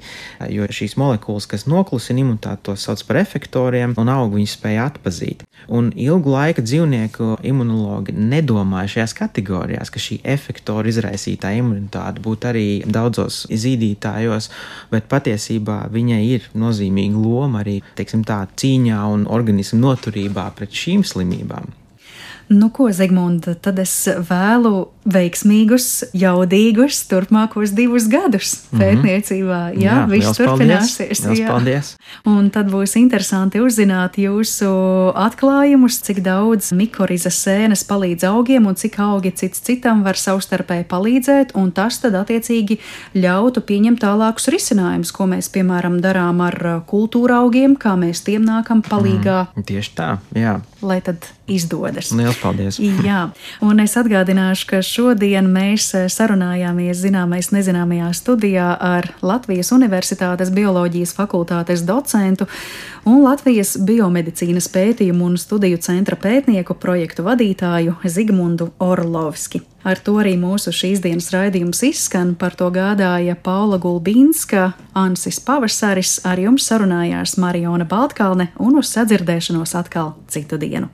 jo šīs molekulas, kas noklusina imunitāti, to sauc par efektoriem, un augi viņus spēja atpazīt. Un ilgu laiku dzīvnieku imunologi nedomāja šajās kategorijās, ka šī efektoru izraisītā imunitāte būtu arī daudzos zīdītājos, bet patiesībā viņai ir nozīmīga loma arī, cīņā un organismu noturībā pret šīm slimībām. Ko, Zigmund, tad es vēlu veiksmīgus, jaudīgus turpmākos 2 gadus pētniecībā. Jā, viss turpināsies. Paldies! Un tad būs interesanti uzzināt jūsu atklājumus, cik daudz mikorizas sēnes palīdz augiem un cik augi cits citam var savstarpēji palīdzēt, un tas tad attiecīgi ļautu pieņemt tālākus risinājumus, ko mēs, piemēram, darām ar kultūra augiem, kā mēs tiem nākam palīgā. Tieši tā, jā. Lai tad izdodas. Liels paldies! Jā, un es atgādināšu, ka šodien mēs sarunājāmies zināmais nezināmajā studijā ar Latvijas Universitātes bioloģijas fakultātes docentu un Latvijas biomedicīnas pētījumu un studiju centra pētnieku projektu vadītāju Zigmundu Orlovski. Ar to arī mūsu šīs dienas raidījums izskan, par to gādāja Paula Gulbīnska, Ansis Pavasaris, ar jums sarunājās Mariona Baltkalne un uz sadzirdēšanos atkal citu dienu.